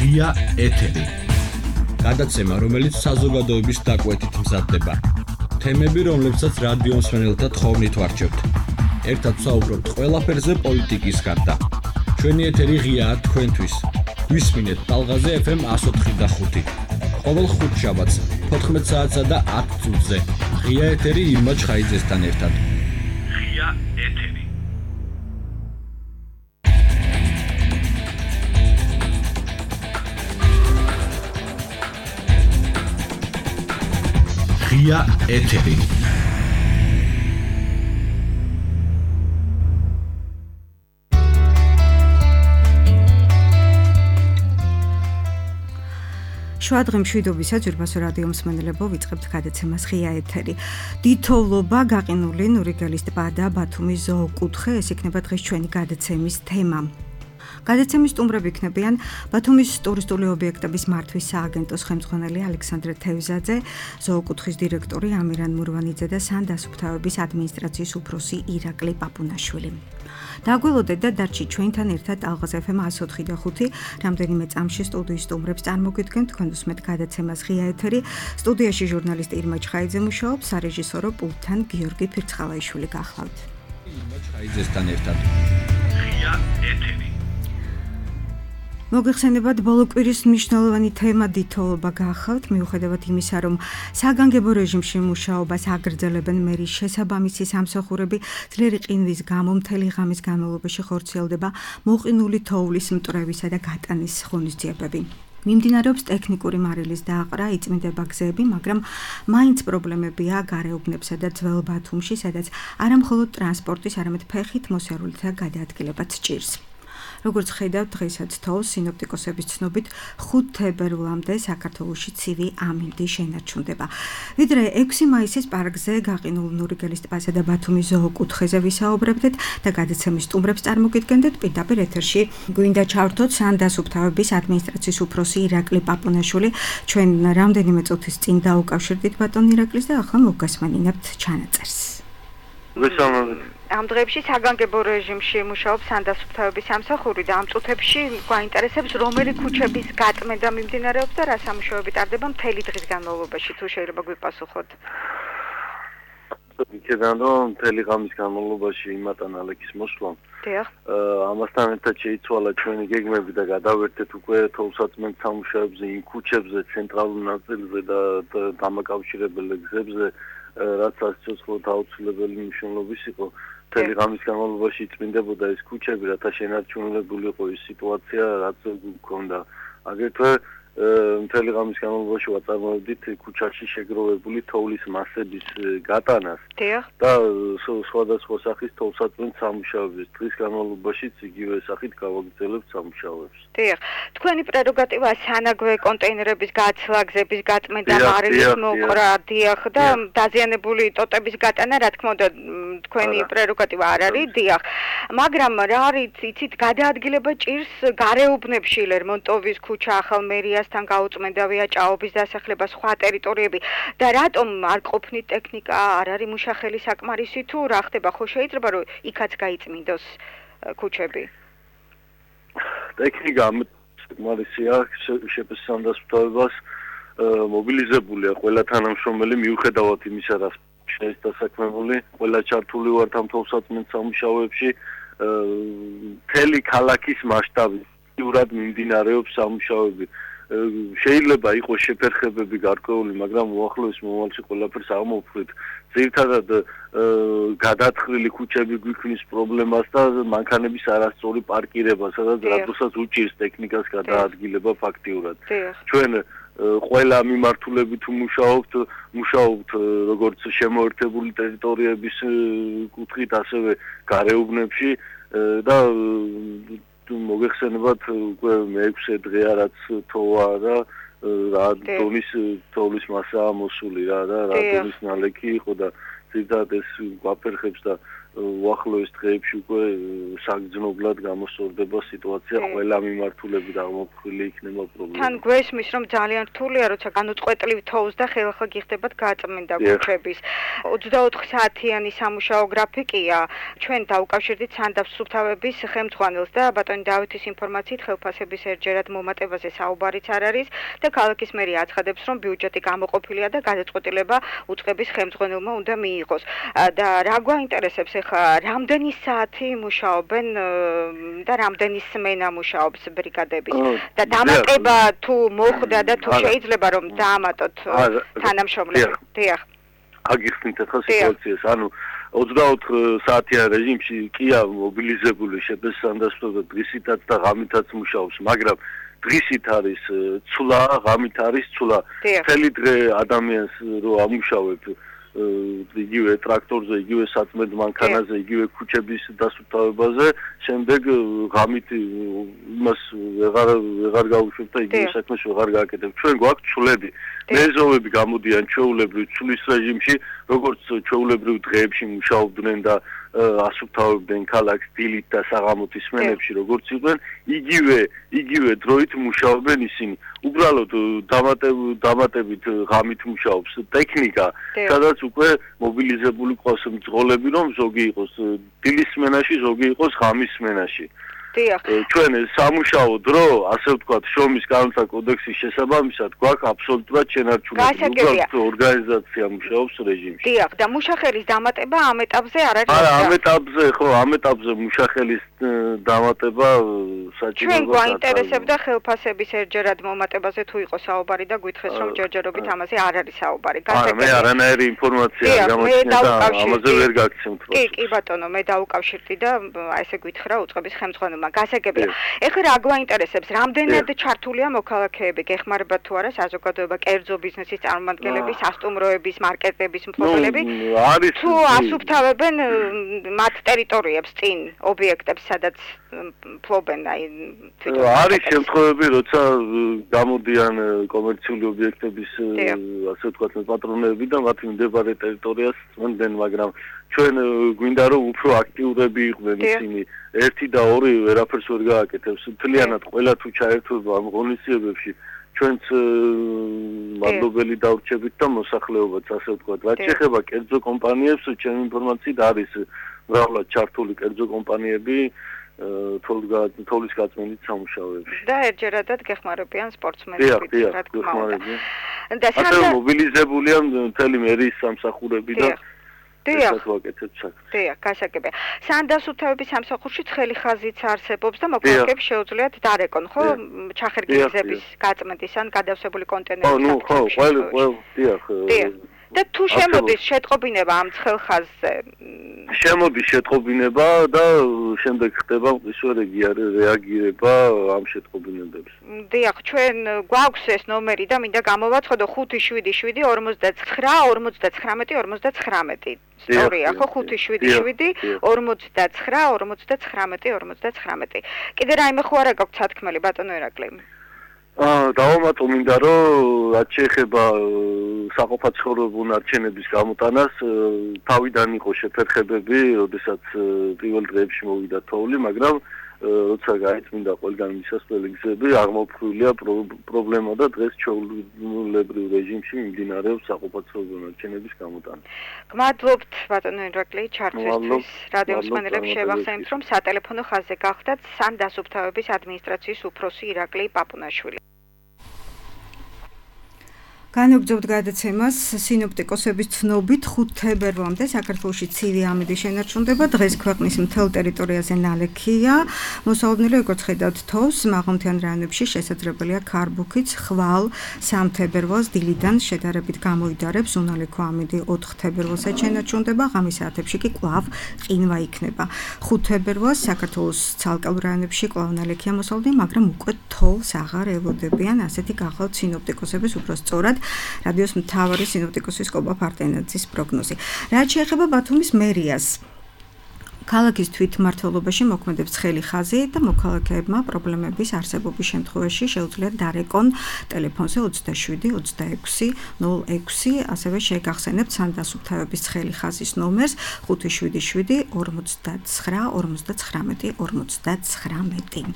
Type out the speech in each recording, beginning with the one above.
ღია ეთერი. გადაცემა, რომელიც საზოგადოების დაკვეთით მზადდება. თემები, რომლებსაც რადიო მსმენელთა თხოვნით ვარჩევთ. ერთად ვსაუბრობთ ყველაფერზე პოლიტიკის გარდა. ჩვენი ეთერი ღიაა თქვენთვის. გვისმინეთ ტალღაზე FM 104.5. ყოველ ხუთშაბათს 14 საათსა და 10 წუთზე. ღია ეთერი ირმა ჩხაიძესთან ერთად. ღია ეთერი. ღია ეთერი. შუადღე მშვიდობისა ძვირფასო რადიო მსმენელებო, ვიწყებთ გადაცემას ღია ეთერი. დიდთოვლობა, გაყინული ნურიგელის ტბა და ბათუმის ზოოკუთხე, ეს იქნება დღეს ჩვენი გადაცემის თემა. გადაცემის სტუმრები იქნებიან ბათუმის ტურისტული ობიექტების მართვის სააგენტოს ხელმძღვანელი ალექსანდრე თევზაძე, ზოოკუთხის დირექტორი ამირან მურვანიძე და სანდასუფთავების ადმინისტრაციის უფროსი ირაკლი პაპუნაშვილი. დაგველოდეთ და დარჩით ჩვენთან ერთად ტალღაზე FM 104.5. რამდენიმე წამში სტუდიის სტუმრებს წარმოგიდგენთ, თქვენ უსმენთ გადაცემას ღია ეთერი. სტუდიაში ჟურნალისტი ირმა ჩხაიძე მუშაობს, სარეჟისორო პულტთან გიორგი ფირცხალაიშვილი გახლავთ. ირმა ჩხაიძესთან ერთად. ღია ეთერი. მოგეხსენებათ, ბოლო კვირის მნიშვნელოვანი თემა დიდთოვლობა გახლავთ, მიუხედავად იმისა, რომ საგანგებო რეჟიმში მუშაობას აგრძელებენ მერის შესაბამისი სამსახურები, ძლიერი ყინვის გამო მთელი ღამის განმავლობაში ხორციელდება მოყინული თოვლის მტვრევისა და გატანის ღონისძიებები. მიმდინარეობს ტექნიკური მარილის დააყრა, იწმინდება გზები, მაგრამ მაინც პრობლემებია გარეუბნებსა და ძველ ბათუმში, სადაც არა მხოლოდ ტრანსპორტის, არამედ ფეხით მოსიარულეთა გადაადგილებაც ჭირს. როგორც ხედავთ, დღესაც თოვს სინოპტიკოსების ცნობით 5 თებერვლამდე საქართველოში ცივი ამინდი შენარჩუნდება. ვიდრე 6 მაისის პარკზე, გაყინულ ნურიგელის ტბასა და ბათუმის ზოოკუთხეზე ვისაუბრებდეთ და გადაცემის სტუმრებს წარმოგიდგენდეთ. პირდაპირ ეთერში გვინდა ჩავრთოთ სანდასუფთავების ადმინისტრაციის უფროსი ირაკლი პაპუნაშვილი. ჩვენ რამდენიმე წუთის წინ დაუკავშირდით ბატონ ირაკლის და ახლა მოგესმენინებთ ჩანაწერს. ამ დღეებში საგანგებო რეჟიმში მუშაობს სანდასუფთავების სამსახური და ამ წუთებში გვაინტერესებს რომელი ქუჩების გაწმენდა მიმდინარეობს და რა სამუშაოები ტარდება მთელი დღის განმავლობაში, თუ შეიძლება გვიპასუხოთ. იქედან რომ მთელი ღამის განმავლობაში იმატან ალექის მოსვლამ. დიახ. ამასთან ერთად შეიცვალა ჩვენი გეგმები და გადავერთეთ უკვე თოვსაწმენდ სამუშაოებზე იმ ქუჩებზე, ცენტრალურ ნაწილზე და დამაკავშირებელ გზებზე, რაც სიცოცხლეთა აუცილებელი მნიშვნელობის იყო. მთელი ღამის განმავლობაში იწმინდებოდა ეს ქუჩები, რათა შენარჩუნებული იყო ის სიტუაცია, რაც გვქონდა. აგრეთვე მთელი ღამის განმავლობაში ვაწარმოებდით ქუჩაში შეგროვებული თოვლის მასების გატანას და სხვადასხვა სახის თოვსაწმენდ სამუშაოებს. დღის განმავლობაშიც იგივე სახით გავაგრძელებთ სამუშაოებს. დიახ, თქვენი პრეროგატივა სანაგვე კონტეინერების გაცვლა, გზების გაწმენდა, მარილის მოყრა, დიახ და დაზიანებული ტოტების გატანა, რა თქმა უნდა, თქვენი პრეროგატივა არ არის, დიახ. მაგრამ რა არის, იცით, გადაადგილება ჭირს გარეუბნებში, ლერმონტოვის ქუჩა, ახალმერიასთან გაუწმენდავია, ჭაობის დასახლება, სხვა ტერიტორიები და რატომ არ ყოფნით ტექნიკა, არ არის მუშახელი საკმარისი თუ რა ხდება, ხო შეიძლება რომ იქაც გაიწმინდოს ქუჩები? ტექნიკა საკმარისია, სანდასუფთავებას მობილიზებულია ყველა თანამშრომელი, მიუხედავად იმისა, რა შეის დასაქმებული, ყველა ჩართული ვართ ამ თოვსაწმენდ სამუშაოებში, მთელი ქალაქის მასშტაბით მიმდინარეობს სამუშაოები. შეიძლება იყოს შეფერხებები გარკვეული, მაგრამ უახლოეს მომავალში ყველაფერს აღმოფხვრით. ძირითადად გადათხრილი ქუჩები გვიქმნის პრობლემას და მანქანების არასწორი პარკირება, სადაც რადოსაც უჭირს ტექნიკას გადაადგილება ფაქტიურად. ჩვენ ყველა მიმართულებით მუშაობთ როგორც შემოერთებული ტერიტორიების კუთხით, ასევე გარეუბნებში და მოგეხსენებათ უკვე მე-6 დღეა რაც თოვა და რა დონის თოვლის მასაა მოსული რა და რა დონის ნალექი იყო და ძირითადად ეს გვაფერხებს და უახლოეს დღეებში უკვე საგრძნობლად გამოსწორდება სიტუაცია, ყველა მიმართულებით აღმოფხვრილი იქნება პრობლემა. თან გვესმის, რომ ძალიან რთულია, როცა განუწყვეტლივ თოვს და ხელახლა გიხდებათ გაწმენდა ქუჩების. 24 საათიანი სამუშაო გრაფიკია. ჩვენ დავუკავშირდით სანდავს სუფთავების ხელმძღვანელს და ბატონი დავითის ინფორმაციით ხელფასების ერთჯერად მომატებაზე საუბარიც არ არის და ქალაქის მერია აცხადებს, რომ ბიუჯეტი გამოყოფილია და გადაწყვეტილება უწყების ხელმძღვანელმა უნდა მიიღოს. და რა გვაინტერესებს ახლა რამდენი საათი მუშაობენ და რამდენი სმენა მუშაობს ბრიგადების და დამატება თუ მოხდა და თუ შეიძლება რომ დაამატოთ თანამშრომლები. დიახ. აგიხსნით ახლა სიტუაციას, ანუ 24 საათიან რეჟიმში კია მობილიზებული შეფასანდასწორდა დღისითაც და ღამითაც მუშაობს, მაგრამ დღისით არის ცვლა, ღამით არის ცვლა. მთელი დღე ადამიანს რო ამუშავებ იგივე ტრაქტორზე, იგივე საწმედ მანქანაზე, იგივე ქუჩების დასუფთავებაზე, შემდეგ ღამით იმას ვეღარ გავუშვებ და იგივე საქმეს ვეღარ გააკეთებ. ჩვენ გვაქვს ცვლები. მეზობები გამოდიან ჩვეულებრივ ცვლის რეჟიმში, როგორც ჩვეულებრივ დღეებში მუშაობდნენ და ასუფთავებდნენ ქალაქს დილით და საღამოთის სმენებში, როგორც იყვნენ, იგივე დროით მუშაობენ ისინი. უბრალოდ დამატებით ღამით მუშაობს ტექნიკა, სადაც უკვე მობილიზებული ყავს მძღოლები, რომ ზოგი იყოს დილის სმენაში, ზოგი იყოს ღამის სმენაში. ჩვენ სამუშაო დრო, ასე ვთქვათ, შრომის კანონთა კოდექსის შესაბამისად გვაქვს აბსოლუტურად შენარჩუნებული. უბრალოდ ორგანიზაცია მუშაობს რეჟიმში. დიახ, და მუშახელის დამატება ამ ეტაპზე არ არის? არა, ამ ეტაპზე მუშახელის დამატება საჭიროა. ჩვენ გვაინტერესებდა ხელფასების ერთჯერად მომატებაზე თუ იყო საუბარი და გითხრეს, რომ ჯერჯერობით ამაზე არ არის საუბარი. მე არანაირი ინფორმაცია არ გამოჩნდა და ამაზე ვერ გაგცემთ. კი, ბატონო, მე დავუკავშირდი და ესე გითხრა უწყების ხელმძღვანელმა. გასაგებია. ეხლა რა გვაინტერესებს? რამდენად ჩართულია მოქალაქეები? გეხმარება თუ არა საზოგადოება, კერძო ბიზნესის წარმომადგენლები, სასტუმროების, მარკეტების მფლობელები? თუ ასუფთავებენ მათ ტერიტორიებს წინ ობიექტებს, სადაც ფლობენ აი თვითონ. არის შემთხვევები, როცა გამოდიან კომერციული ობიექტების ასე ვთქვათ პატრონები და მათ მდებარე ტერიტორიას წმენდნენ, მაგრამ ჩვენ გვინდა რომ უფრო აქტიურები იყვნენ ისინი. 1 და 2 ვერაფერს ვერ გააკეთებს. მთლიანად ყველა თუ ჩაერთვება ამ ღონისძიებებში, ჩვენც მადლობელი დავრჩებით და მოსახლეობაც, ასე ვთქვათ. რაც შეეხება კერძო კომპანიებს, ჩემი ინფორმაციით არის მრავლად ჩართული კერძო კომპანიები თოვლის გაწმენდით სამუშაოებში. და ერთჯერადად გეხმარებიან სპორტსმენებით, რა თქმა უნდა. და ასევე მობილიზებულია მთელი მერიის სამსახურები და დიახ, გასაგებია. სანდასუფთავების სამსახურში ცხელი ხაზიც არსებობს და მოქალაქეებს შეუძლიათ დარეკონ, ხო? ჩახერგილების გაწმენდის ან გადავსებული კონტეინერების. ხო, დიახ. და თუ შემოდის შეტყობინება ამ ცხელ ხაზზე? შემოდის შეტყობინება და შემდეგ ხდება ისე რეაგირება ამ შეტყობინებებს. დიახ, ჩვენ გვაქვს ეს ნომერი და მინდა გამოვაცხადო 577 49 59 59. ისტორია, ხო 577 49 59. კიდე რაიმე ხო არა გაქვთ სათქმელი ბატონო ერაკლი? დავამატო მინდა რომ რაც შეეხება საყოფაცხოვრებო ნარჩენების გამოტანას, თავიდან იყო შეფერხებები, როდესაც პირველ დღეებში მოვიდა თოვლი, მაგრამ როცა გაიწმინდა ყველგან მისასვლელი გზები, აღმოფხვრილია პრობლემა და დღეს ჩვეულებრივ რეჟიმში მიმდინარეობს საყოფაცხოვრებო ნარჩენების გამოტანა. გმადლობთ ბატონო ერაკლი ჩართვისთვის. რადიოს მსმენელებს შევახსენებთ, რომ სატელეფონო ხაზზე გახდათ სანდასუფთავების ადმინისტრაციის უფროსი ირაკლი პაპუნაშვილი. განაგრძობთ გადაცემას სინოპტიკოსების ცნობით 5 თებერვალამდე საქართველოში ცივი ამინდი შენარჩუნდება. დღეს ქვეყნის მთელ ტერიტორიაზე ნალექია. მოსალოდნელი როგორც ხედავთ თოვს, მაღალმთიან რაიონებში შესაძლებელია ქარბუქიც, ხვალ 3 თებერვალს დილიდან შედარებით გამოიდარებს. უნალექო ამინდი 4 თებერვალსაც შენარჩუნდება. ღამის საათებში კი კვლავ ყინვა იქნება. 5 თებერვალს საქართველოს ცალკეულ რაიონებში კვლავ ნალექია მოსალოდნელი, მაგრამ უკვე თოვს აღარ ელოდებიან. ასეთი გახლავთ სინოპტიკოსების უფრო სწორად რადიოს მთავარი სინოპტიკოსის კობა ფარტენაძის პროგნოზი. რაც შეეხება ბათუმის მერიას, ქალაქის თვითმმართველობაში მოქმედებს ცხელი ხაზი და მოქალაქეებმა პრობლემების არსებობის შემთხვევაში შეუძლიათ დარეკონ ტელეფონზე 27 26 06, ასევე შეგახსენებთ სანდასუფთავების ცხელი ხაზის ნომერს 577 59 59 59.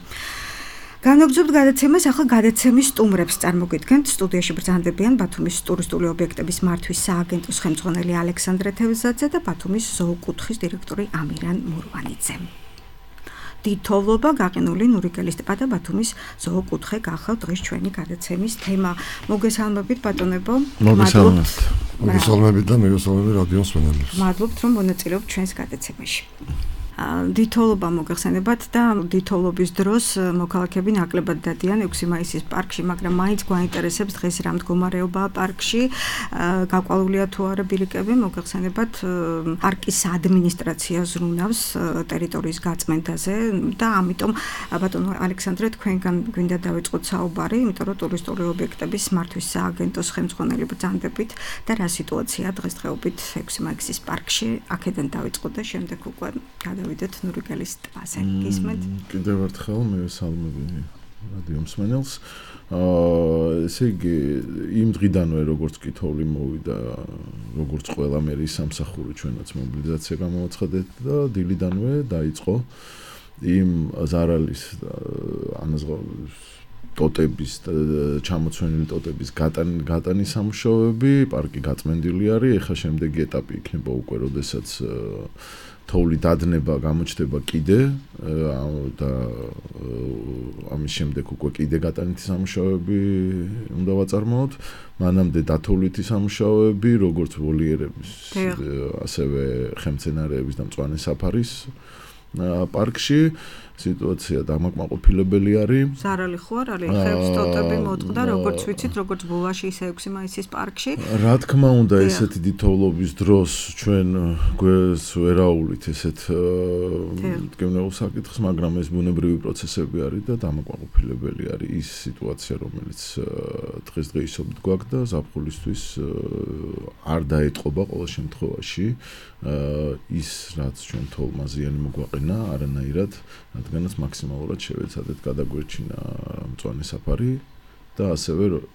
განაგრძობთ გადაცემას, ახლა გადაცემის სტუმრებს წარმოგიდგენთ. სტუდიაში ბრძანდებიან ბათუმის ტურისტული ობიექტების მართვის სააგენტოს ხელმძღვანელი ალექსანდრე თევზაძე და ბათუმის ზოოკუთხის დირექტორი ამირან მურვანიძე. დიდთოვლობა გაყინული ნურიგელის ტბა და ბათუმის ზოოკუთხე გახავთ დღეს ჩვენი გადაცემის თემა. მოგესალმებით ბატონებო. მოგესალმებით და მოგესალმებით რადიო მსმენელებს. მადლობთ რომ მონაწილეობთ ჩვენს გადაცემაში. დიდთოვლობა მოგეხსენებათ და დიდთოვლობის დროს მოქალაქეები ნაკლებად დადიან 6 მაისის პარკში, მაგრამ მაინც გვაინტერესებს დღეს რა მდგომარეობაა პარკში, გაყვავილია თუ არა ბილიკები, მოგეხსენებათ პარკის ადმინისტრაცია ზრუნავს ტერიტორიის გაწმენდაზე და ამიტომ ბატონო ალექსანდრე თქვენგან გვინდა დავიწყოთ საუბარი, იმიტომ რომ ტურისტული ობიექტების მართვის სააგენტოს ხელმძღვანელი ბრძანდებით და რა სიტუაციაა დღესდღეობით 6 მაისის პარკში, აქედან დავიწყოთ და შემდეგ უკვე ვიდეთ ნურიგელის ტბაზე. გისმენთ? კიდევ ერთხელ მივესალმები რადიო მსმენელს. ესე იგი, იმ დღიდანვე როგორც კითხვი მოვიდა, როგორც ყველა მერის სამსახური ჩვენაც მობილიზაცია გამოაცხადეთ და დილიდანვე დაიწყო იმ ზარალის ტოტების და ჩამოცვენილი ტოტების გატანის სამუშაოები, პარკი გაწმენდილი არის, ეხლა შემდეგი ეტაპი იქნება უკვე, როდესაც თოვლი დადნება გამოჩნდება კიდე და ამის შემდეგ უკვე კიდე გატანითი სამუშაოები უნდა ვაწარმოოთ. მანამდე დათოვლითი სამუშაოები, როგორც ვოლიერების, ასევე ხემცენარეების და მწვანე საფარის პარკში სიტუაცია დამაკმაყოფილებელი არის. ზარალი ხო არ არის? ხეებს ტოტები მოწყდა, როგორც ვიცით, როგორც ბულაში, ისე 6 მაისის პარკში. რა თქმა უნდა, ესეთი დიდთოვლობის დროს ჩვენ გვერდს ვერაულით ესეთ მტკივნეულ საკითხს, მაგრამ ეს ბუნებრივი პროცესები არის და დამაკმაყოფილებელი არის ის სიტუაცია, რომელიც დღესდღეობით გვაქვს და ზაფხულისთვის არ დაეტყობა ყოველ შემთხვევაში ის, რაც ჩვენ თოვლმა ზიანი მოგვაყენა, არანაირად რადგანაც მაქსიმალურად შევეცადეთ გადაგვერჩინა მწვანე საფარი და ასევე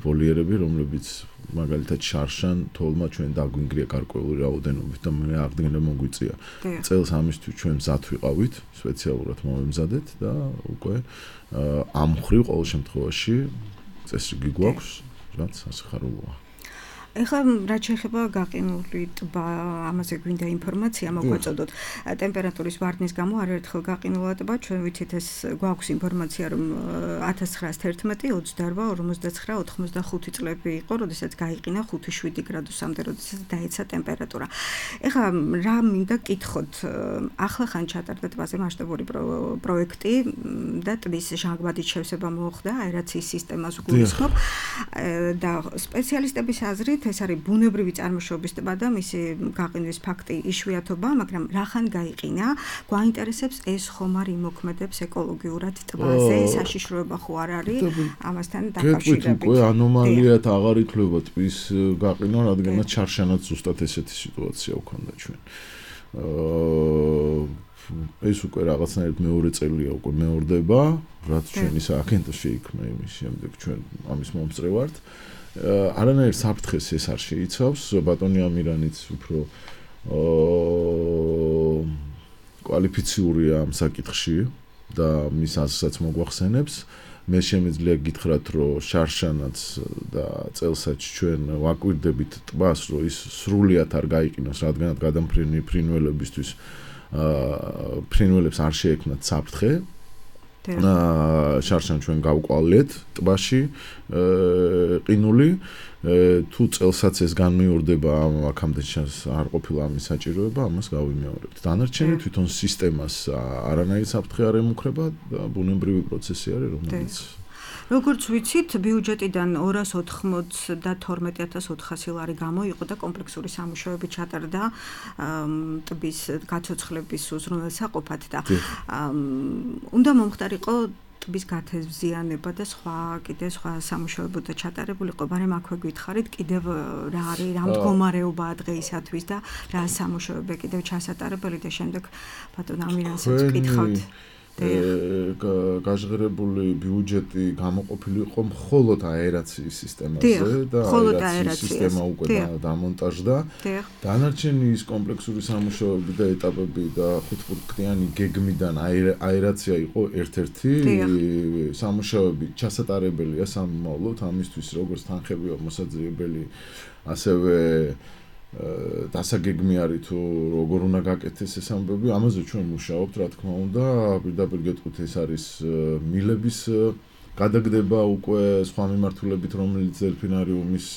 ვოლიერები, რომლებიც მაგალითად შარშან თოვლმა ჩვენ დაგვინგრია გარკვეული რაოდენობით და მე აღდგენა მოგვიწია. წელს ამისთვის ჩვენ მზად ვიყავით, სპეციალურად მოვემზადეთ და უკვე ამ მხრივ ყოველ შემთხვევაში წესრიგი გვაქვს, რაც სასიხარულოა. ეხლა რაც შეეხება გაყინული ტბა, ამაზე გვინდა ინფორმაცია მოგვაწოდოთ. ტემპერატურის ვარდნის გამო არაერთხელ გაყინულა ტბა, ჩვენ ვიცით ეს გვაქვს ინფორმაცია, რომ 1911, 28, 59, 85 წლები იყო, როდესაც გაიყინა 5-7 გრადუსამდე, როდესაც დაეცა ტემპერატურა. ეხლა რა მინდა გკითხოთ, ახლა ხან ჩატარდა ტბაზე მასშტაბური პროექტი და ტბის ჟანგბადით შევსება მოხდა, აერაციის სისტემას გულისხმობ და სპეციალისტების აზრით ეს არის ბუნებრივი წარმოშობის ტბა და მისი გაყინვის ფაქტი იშვიათობა, მაგრამ რახან გაიყინა, გვაინტერესებს ეს ხომ არ იმოქმედებს ეკოლოგიურად ტბაზე, საშიშროება ხო არ არის ამასთან დაკავშირებით. უკვე ანომალიად აღარ ითვლება ტბის გაყინა, რადგანაც ჩარშანაც ზუსტად ესეთი სიტუაცია ვქონდა ჩვენ. ეს უკვე რაღაცნაირად მეორე წელია უკვე მეორდება, რაც ჩვენი სააგენტო შეიქმნა იმის შემდეგ ჩვენ ამის მომწრე ვართ. არანაირ საფრთხეს ეს არ შეიცავს, ბატონი ამირანიც უფრო კვალიფიციურია ამ საკითხში და მის აზრსაც მოგვახსენებს. მე შემიძლია გითხრათ, რომ შარშანაც და წელსაც ჩვენ ვაკვირდებით ტბას, რომ ის სრულიად არ გაიყინოს, რადგანაც გადამფრენი ფრინველებისთვის ფრინველებს არ შეექმნათ საფრთხე. შარშან ჩვენ გავყვალეთ ტბაში ყინული, თუ წელსაც ეს განმეორდება, აქამდე არ ყოფილა ამის საჭიროება, ამას გავიმეორებთ. დანარჩენი თვითონ სისტემას არანაირი საფრთხე არ ემუქრება და ბუნებრივი პროცესი არის, რომელიც როგორც ვიცით, ბიუჯეტიდან 292,400 ლარი გამოიყო და კომპლექსური სამუშაოები ჩატარდა ტბის გაცოცხლების უზრუნველსაყოფად და უნდა მომხდარიყო ტბის გათევზიანება და სხვა სამუშაოებოდა ჩატარებული იყო, მაგრამ აქვე გითხარით კიდევ რა არის, რა მდგომარეობაა დღეისათვის და რა სამუშაოები კიდევ ჩასატარებელი და შემდეგ ბატონ ამირანსაც ვკითხავთ. გაჟღერებული ბიუჯეტი გამოყოფილი იყო მხოლოდ აერაციის სისტემაზე და აერაციის სისტემა უკვე დამონტაჟდა. დანარჩენი ის კომპლექსური სამუშაოები და ეტაპები და ხუთპუნქტიანი გეგმიდან აერაცია იყო ერთ-ერთი სამუშაოები ჩასატარებელია სამომავლოდ ამისთვის როგორც თანხები მოსაძიებელი ასევე დასაგეგმი არის თუ როგორ უნდა გაკეთდეს ეს ამბები, ამაზე ჩვენ მუშაობთ, რა თქმა უნდა, პირდაპირ გეტყვით ეს არის მილების გადაგდება უკვე სხვა მიმართულებით, რომელიც დელფინარიუმის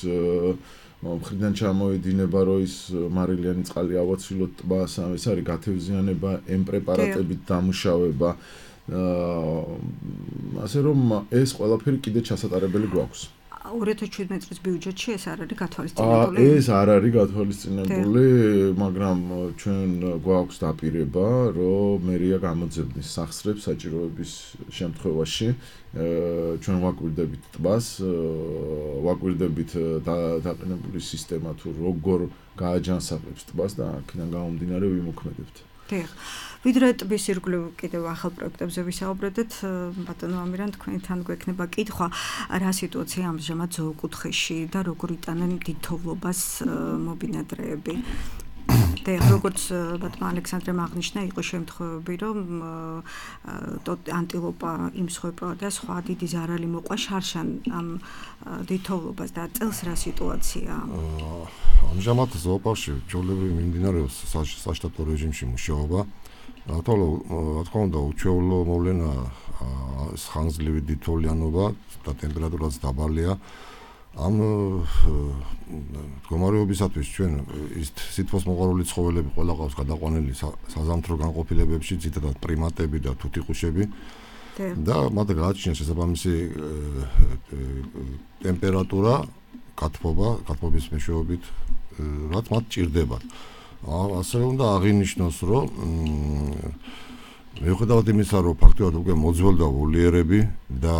მხრიდან ჩამოედინება, რომ ის მარილიანი წყალი ავაცილოთ ტბას, ეს არის გათევზიანება, ემ პრეპარატებით დამუშავება, ასე რომ ეს ყველაფერი კიდე ჩასატარებელი გვაქვს. 2017 წლის ბიუჯეტში ეს არ არის გათვალისწინებული? ეს არ არის გათვალისწინებული, მაგრამ ჩვენ გვაქვს დაპირება, რომ მერია გამოძებნის სახსრებს საჭიროების შემთხვევაში. ჩვენ ვაკვირდებით ტბას, ვაკვირდებით დაყენებული სისტემა თუ როგორ გააჯანსაღებს ტბას და აქედან გამომდინარე ვიმოქმედებთ. ვიდრე ტბის ირგვლივ კიდევ ახალ პროექტებზე ვისაუბრებთ, ბატონო ამირან, თქვენთან გვექნება კითხვა, რა სიტუაცია ამჟამად ზოოკუთხეში და როგორ იტანენ დიდთოვლობას მობინადრეები. და როგორც ბატონმა ალექსანდრემ აღნიშნა, იყო შემთხვევები, რომ ანტილოპა იმსხვერპლა და სხვა დიდი ზარალი მოყვა შარშან ამ დიდთოვლობას და წელს რა სიტუაცია? ამჟამად ზოოპარკში ჩვეულებრივ მიმდინარეობს საშტატო რეჟიმში მუშაობა. რა თქმა უნდა, უჩვეულო მოვლენა ხანგრძლივი დიდთოვლიანობა და ტემპერატურაც დაბალია. ამ მდგომარეობისათვის ჩვენ ის სითბოს მოყვარული ცხოველები ყველა ყავს გადაყვანილი საზამთრო განყოფილებებში, ძირითადად პრიმატები და თუთიყუშები. და მათ გააჩნიათ შესაბამისი ტემპერატურა, გათბობის მეშვეობით, რაც მათ ჭირდებათ. ასევე უნდა აღინიშნოს, რომ მიუხედავად იმისა, რომ ფაქტობრივად უკვე მოძველდა ვოლიერები და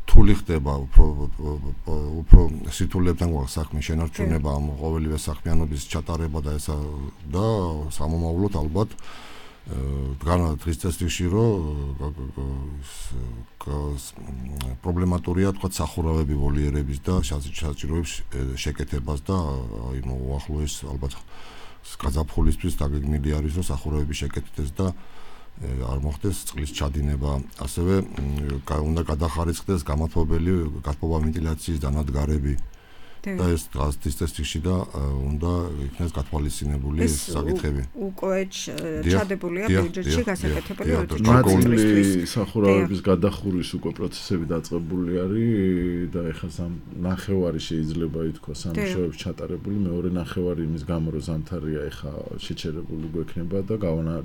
რთული ხდება უფრო სიტულებთან გვაქვს საქმე, შენარჩუნება, ამ ყოველივე საქმიანობის ჩატარება და ესა და სამომავლოდ ალბათ დღის წესრიგში რომ პრობლემატურია თქვა სახურავები ვოლიერების და საჭიროებს შეკეთებას და უახლოეს ალბათ გაზაფხულისთვის დაგეგმილი არის რომ სახურავები შეკეთდეს და არ მოხდეს წყლის ჩადინება. ასევე უნდა გადახარისხდეს გამათბობელი გათბობა ვენტილაციის დანადგარები და ეს დღის წესრიგში და უნდა იქნეს გათვალისწინებული ეს საკითხები. უკვე ჩადებულია ბიუჯეტში გასაკეთებელი მათი სახურავების გადახურვის უკვე პროცესები დაწყებული არის და ეხლა ნახევარი შეიძლება ითქვას სამუშაოებს ჩატარებული, მეორე ნახევარი იმის გამო რომ ზამთარია ეხლა შეჩერებული გვექნება და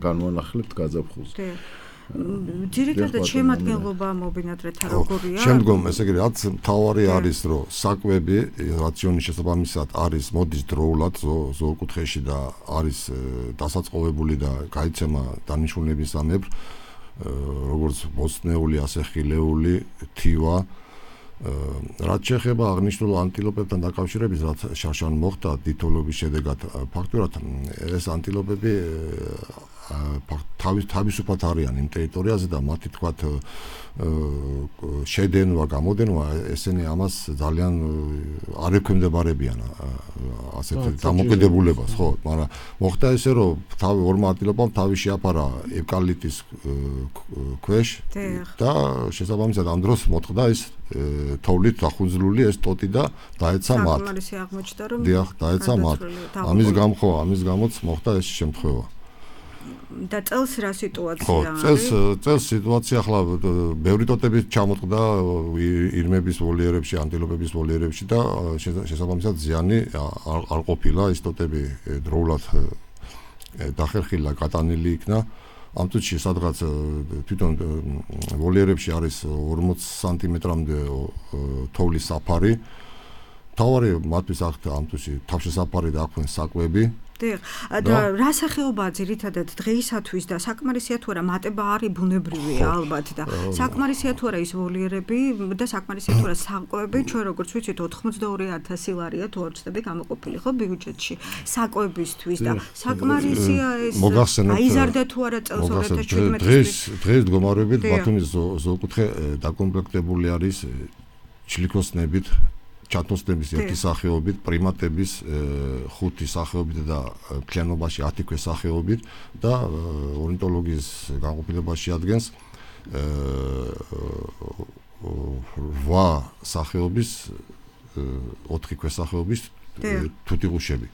განვანახლებთ გაზაფხულს. ძირითადად შემადგენლობა მობინადრეთა როგორია? შემდგომ ესე იგი რაც მთავარი არის რომ საკვები რაციონის შესაბამისად არის მოდის დროულად ზოოკუთხეში და არის დასაწყობებული და გაიცემა დანიშნულებისამებრ როგორც ბოსტნეული ასე ხილეული თივა რაც შეეხება აღნიშნულ ანტილოპებთან დაკავშირებით რაც შარშან მოხდა დიდთოვლობის შედეგად ფაქტურად ეს ანტილოპები თავისუფლად არიან იმ ტერიტორიაზე და მათი თქვათ შედენვა, გამოდენვა ესენი ამას ძალიან არ ექვემდებარებიან ასეთ დამოკიდებულებას, ხო, მაგრამ მოხდა ესე რომ ორმა ანტილოპამ თავი შეაფარა ევკალიპტის ქვეშ და შესაბამისად ამ დროს მოხდა ეს თოვლით დახუნძლული ეს ტოტი და დაეცა მათ. დაეცა მათ. ამის გამოც მოხდა ეს შემთხვევა. და წელს რა სიტუაცია არის? წელს სიტუაცია ახლა ბევრი ტოტები ჩამოწყდა ირმების ვოლიერებში, ანტილოპების ვოლიერებში და შესაბამისად ზიანი არ ყოფილა ის ტოტები დროულად დახერხილა, გატანილი იქნა. ამ წუთში სადღაც თვითონ ვოლიერებში არის 40 სანტიმეტრამდე თოვლის საფარი. თავარი მათთვის აქ ამ წუთში თავშესაფარი და აქვენ საკვები და რა სახეობაა ძირითადად დღეისათვის და საკმარისია თუ არა მატება არის ბუნებრივია ალბათ და საკმარისია თუ არა ის ვოლიერები და საკმარისია თუ არა საკვები ჩვენ როგორც ვიცით 82,000 ლარია თუ არ ვცდები გამოყოფილი ხო ბიუჯეტში საკვებისთვის და საკმარისია ეს აიზარდა თუ არა წელს 2017 დღეს მდგომარეობით ბათუმის ზოოკუთხე დაკომპლექტებული არის ჩლიქოსნებით ჩათოსნების ერთი სახეობით, პრიმატების 5 სახეობით და მთლიანობაში 10 ქვესახეობით და ორნიტოლოგიის განყოფილებაში ადგენს 8 სახეობის 4 ქვესახეობის თუთიყუშები.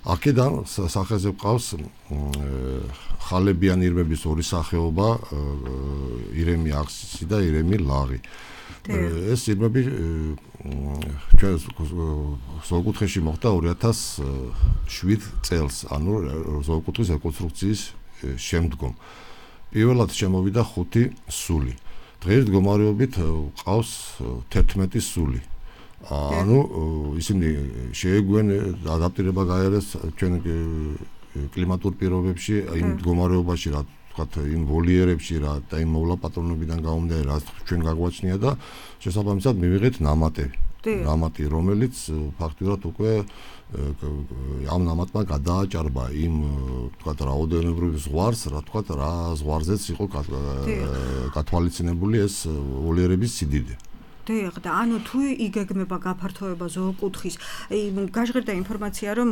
აქედან სახეზე გვყავს ხალებიანი ირმების 2 სახეობა, ირემი აქსისი და ირემი ლაღი. ეს ირმები ჩვენ ზოოკუთხეში მოხდა 2007 წელს, ანუ ზოოკუთხის რეკონსტრუქციის შემდგომ. პირველად შემოვიდა 5 სული. დღეს მდგომარეობით ყავს 11 სული. ანუ ისინი შეეგვენ ადაპტირება გაიარეს ჩვენ კლიმატურ პირობებში, იმ მდგომარეობაში რა ვთქვათ, იმ ვოლიერებში რა და იმ მოვლაპატრონებიდან გამომდინარე რა ჩვენ გაგვაჩნია და შესაბამისად მივიღეთ ნამატი, რომელიც ფაქტურად უკვე ამ ნამატმა გადააჭარბა იმ ვთქვათ რაოდენობრივ ზღვარს, რა ვთქვათ, რა ზღვარზეც იყო გათვალისწინებული ეს ვოლიერების სიდიდე. და ანუ თუ იგეგმება გაფართოება ზოოკუთხის, გაჟღერდა ინფორმაცია, რომ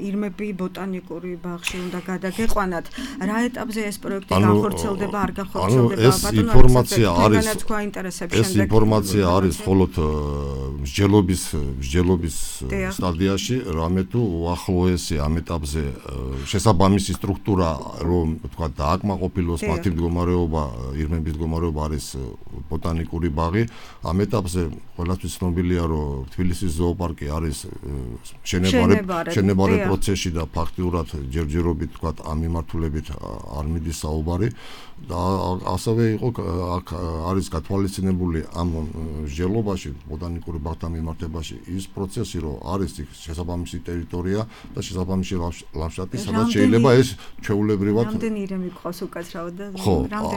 ირმები ბოტანიკური ბაღში უნდა გადაგეყვანათ. რა ეტაპზე ეს პროექტი განხორციელდება, არ განხორციელდება? ეს ინფორმაცია არის მხოლოდ მსჯელობის სტადიაში, რამე თუ უახლოესი ამ ეტაპზე შესაბამისი სტრუქტურა, რომ ვთქვათ, დააკმაყოფილოს მათი მდგომარეობა, ირმების მდგომარეობა არის ბოტანიკური ბაღი. ამ ეტაპზე ყველასთვის ცნობილია, რომ თბილისის ზოოპარკი არის შენებარე პროცესში და ფაქტიურად ჯერჯერობით თქვათ ამ მიმართულებით არ მიდის საუბარი და ასევე იყო აქ არის გათვალისწინებული ამ მსჯელობაში ბოტანიკური ბაღთან მიმართებაში ის პროცესი, რომ არის შესაბამისი ტერიტორია და შესაბამისი ლანდშაფტი, სადაც შეიძლება ეს ჩვეულებრივად რამდენი ირემი გყავს უკაცრავად და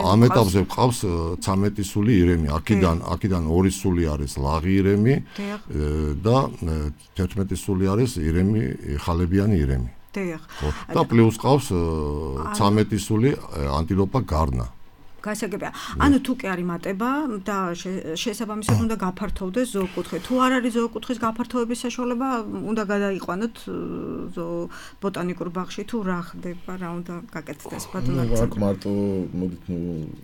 ამ ეტაპზე გყავს 13 სული ირემი, აქედან 2 სული არის ლაღი ირემი და 11 სული არის ირემი ხალებიანი ირემი. და პლუს ყავს 13 სული ანტილოპა გარნა. გასაგებია. ანუ თუ კი არის მატება და შესაბამისად უნდა გაფართოვდეს ზოოკუთხე. თუ არ არის ზოოკუთხის გაფართოების საშუალება, უნდა გადაიყვანოთ ბოტანიკურ ბაღში თუ რა ხდება, რა უნდა გაკეთდეს ბატონო. აქ მარტო მოდით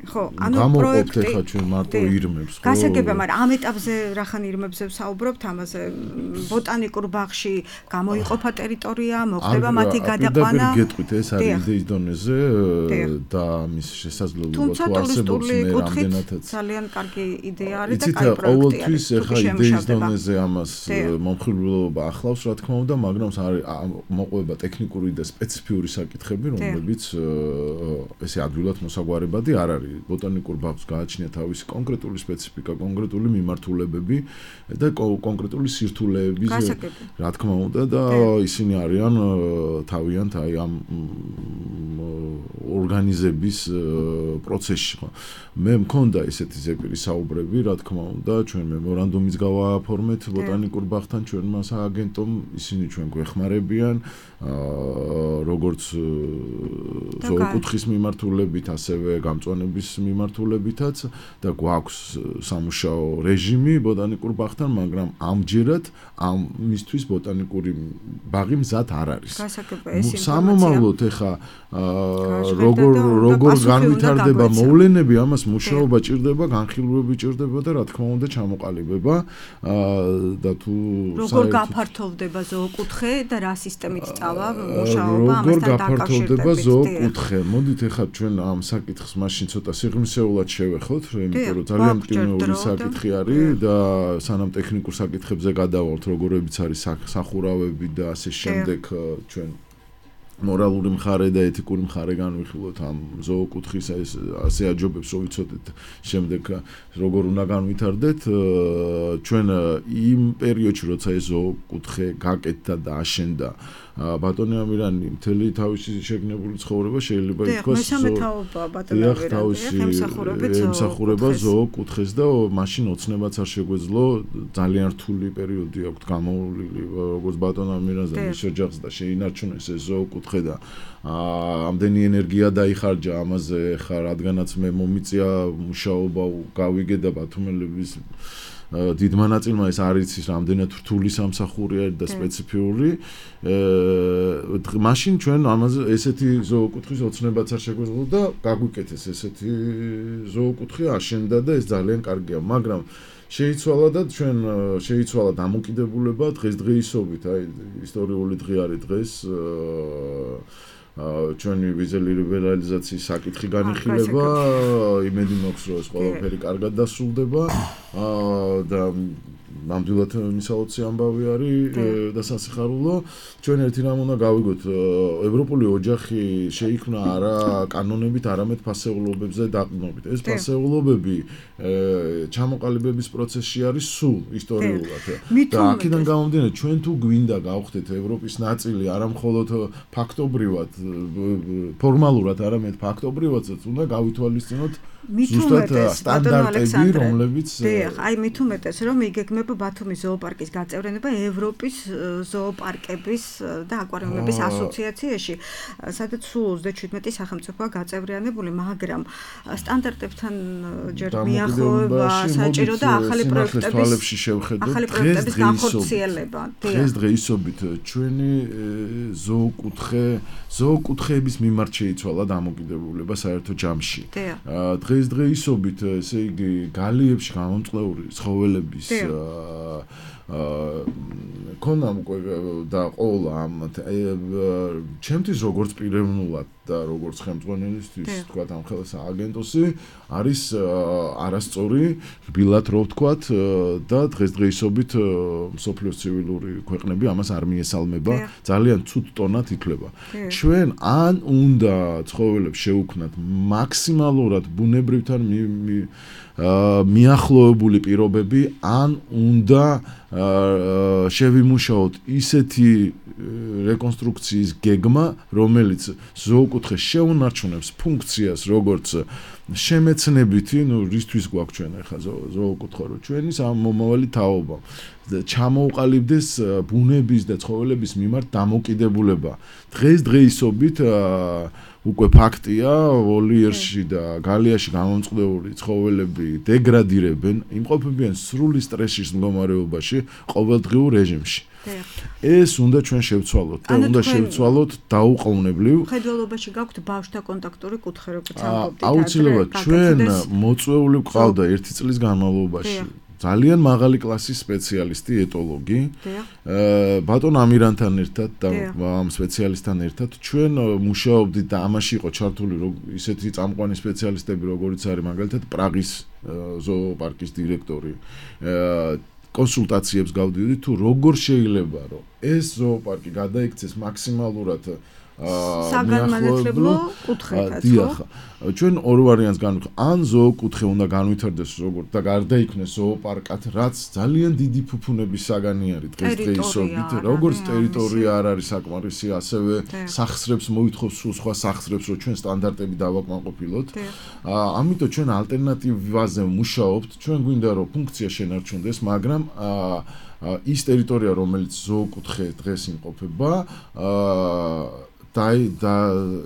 ხო, ანუ პროექტი ხა ჩვენ მარტო ირმებს, ხო? გასაგებია, მაგრამ ამ ეტაპზე რახან ირმებზე ვსაუბრობთ, ამაზე ბოტანიკურ ბაღში გამოიყოფა ტერიტორია, მოხდება მათი გადაყვანა. არ გეტყვით, ეს არის იდეის დონეზე და მის შესაძლებლობა ტურისტული კუთხით ძალიან კარგი იდეა არის და კაი პროექტია. ყოველთვის ახლა იდეის დონეზე ამას მომხიბლობა ახლავს, რა თქმა უნდა, მაგრამ მოყვება ტექნიკური და სპეციფიური საკითხები, რომლებიც ესე ადვილად მოსაგვარებადი არ არის. ბოტანიკურ ბაღს გააჩნია თავისი კონკრეტული სპეციფიკა, კონკრეტული მიმართულებები და კონკრეტული სირთულეების, რა თქმა უნდა, და ისინი არიან თავიანთ აი ამ ორგანიზების პროცესში. მე მქონდა ესეთი ზეპირი საუბრები, რა თქმა უნდა, ჩვენ მემორანდუმის გავააფორმეთ ბოტანიკურ ბაღთან ჩვენმა სააგენტომ, ისინი ჩვენ გვეხმარებიან, როგორც ზოოკუთხის მიმართულებით, ასევე გამწვანების მიმართულებითაც და გვაქვს სამუშაო რეჟიმი ბოტანიკურ ბაღთან, მაგრამ ამჯერად ამისთვის ბოტანიკური ბაღი მზად არ არის. სამომავლოდ ეხა როგორ განვითარდება მოვლენები, ამას მუშაობა ჭირდება, განხილვები ჭირდება და რა თქმა უნდა ჩამოყალიბება და თუ როგორ გაფართოვდება ზოოკუთხე და რა სისტემით წავა მუშაობა ამასთან დაკავშირებით. როგორ გაფართოვდება ზოოკუთხე? მოდით ეხლა ჩვენ ამ საკითხს მაშინ ცოტა სიღრმისეულად შევეხოთ, იმიტომ რომ ძალიან მტკივნეული საკითხი არის და სანამ ტექნიკურ საკითხებზე გადავალთ, როგორებიც არის სახურავები და ასე შემდეგ, ჩვენ მორალური მხარე და ეთიკური მხარე განვიხილოთ ამ ზოოკუთხის ასე აჯობებს, რომ ვიცოდეთ შემდეგ როგორ უნდა განვითარდეთ. ჩვენ იმ პერიოდში, როცა ეს ზოოკუთხე გაკეთდა და აშენდა, ბატონი ამირანი მთელი თავისი შეგნებული ცხოვრება შეიძლება ითქვას მესამე თაობა ბატონი ამირანი ემსახურება ზოოკუთხეს და მაშინ ოცნებაც არ შეგვეძლო ძალიან რთული პერიოდი აქვს გამოვლილი როგორც ბატონ ამირანს და მის ოჯახს და შეინარჩუნეს ეს ზოოკუთხე და ამდენი ენერგია დაიხარჯა ამაზე ხა რადგანაც მე მომიწია მუშაობა გავიგე და ბათუმელების დიდმა ნაწილმა ეს არ იცის რამდენად რთული სამსახურია და სპეციფიური მაშინ ჩვენ ამაზე ესეთი ზოოკუთხის ოცნებაც არ შეგვეძლო და გაგვიკეთეს ესეთი ზოოკუთხე აშენდა და ეს ძალიან კარგია მაგრამ შეიცვალა და ჩვენ შეიცვალა დამოკიდებულება დღესდღეობით აი ისტორიული დღე არის დღეს ჩვენი ვიზელი ლიბერალიზაციის საკითხი განიხილება იმედი მაქვს რომ ეს ყველაფერი კარგად დასრულდება და ნამდვილად მისაოცი ამბავი არის და სასიხარულო ჩვენ ერთი რამ უნდა გავიგოთ ევროპული ოჯახი შეიქმნა არა კანონებით არამედ ფასეულობებზე დაყრდნობით ეს ფასეულობები ჩამოყალიბების პროცესში არის სულ ისტორიულად და აქედან გამომდინარე ჩვენ თუ გვინდა გავხდეთ ევროპის ნაწილი არა მხოლოდ ფაქტობრივად ფორმალურად არამედ ფაქტობრივადაც უნდა გავითვალისწინოთ ზუსტად სტანდარტები რომლებიც აი მით უმეტეს რომ იგეგმება ბათუმის ზოოპარკის გაწევრიანება ევროპის ზოოპარკების და აკვარიუმების ასოციაციაში სადაც სულ 37 სახელმწიფოა გაწევრიანებული მაგრამ სტანდარტებთან ჯერ მიახლოება საჭირო და ახალი პროექტების განხორციელება დღესდღეობით ჩვენი ზოოკუთხეების მიმართ შეიცვალა დამოკიდებულება საერთო ჯამში დღესდღეობით ესე იგი გალიებში გამომწყლეული ცხოველების ქონამ და ყოლა ამ ჩემთვის როგორც პიროვნულად და როგორც ხელმძღვანელისთვის თქვა ამ ხელს აგენტოსი არის არასწორი რბილად რო ვთქვათ და დღესდღეობით მსოფლიოს ცივილური ქვეყნები ამას არ მიესალმება ძალიან ცუდ ტონად ითვლება ჩვენ ან უნდა ცხოველებს შევუქმნათ მაქსიმალურად ბუნებრივთან მიახლოებული პირობები ან უნდა შევიმუშაოთ ისეთი რეკონსტრუქციის გეგმა რომელიც ზოოკუთხეს შეუნარჩუნებს ფუნქციას როგორც შემეცნებითი რისთვის გვაქვს ჩვენ ახლა ზოოკუთხე რო ჩვენი მომავალი თაობა ჩამოუყალიბდეს ბუნების და ცხოველების მიმართ დამოკიდებულება დღესდღეობით უკვე ფაქტია ვოლიერში და გალიაში გამომწყდეული ცხოველები დეგრადირებენ იმყოფებიან სრული სტრესის მდგომარეობაში ყოველდღიურ რეჟიმში ეს უნდა ჩვენ შევცვალოთ და უნდა შევცვალოთ დაუყოვნებლივ ხედველობაში გაქვთ ბავშვთა კონტაქტური კუთხე როგორც ამბობდით აუცილებლად ჩვენ მოწვეული გვყავდა 1 წლის განმავლობაში ძალიან მაღალი კლასის სპეციალისტი ეტოლოგი ბატონ ამირანთან ერთად და ამ სპეციალისტთან ერთად ჩვენ მუშაობდით და ამაში იყო ჩართული ისეთი წამყვანი სპეციალისტები როგორიც არის მაგალითად პრაღის ზოოპარკის დირექტორი კონსულტაციებს გავდივდით თუ როგორ შეიძლება რომ ეს ზოოპარკი გადაიქცეს მაქსიმალურად საგანმანათლებლო კუთხეთა ჩვენ ორ ვარიანტს განვიხილავთ ან ზოოკუთხე უნდა განვითარდეს როგორც და გარდაიქმნეს ზოოპარკად რაც ძალიან დიდი ფუფუნების საგანი არის დღესდღეობით როგორც ტერიტორია არ არის საკმარისი ასევე სახსრებს მოითხოვს სულ სხვა სახსრებს რომ ჩვენ სტანდარტები დავაკმაყოფილოთ ამიტომ ჩვენ ალტერნატივაზე ვმუშაობთ ჩვენ გვინდა რომ ფუნქცია შენარჩუნდეს მაგრამ ის ტერიტორია რომელიც ზოოკუთხე დღეს იმყოფება და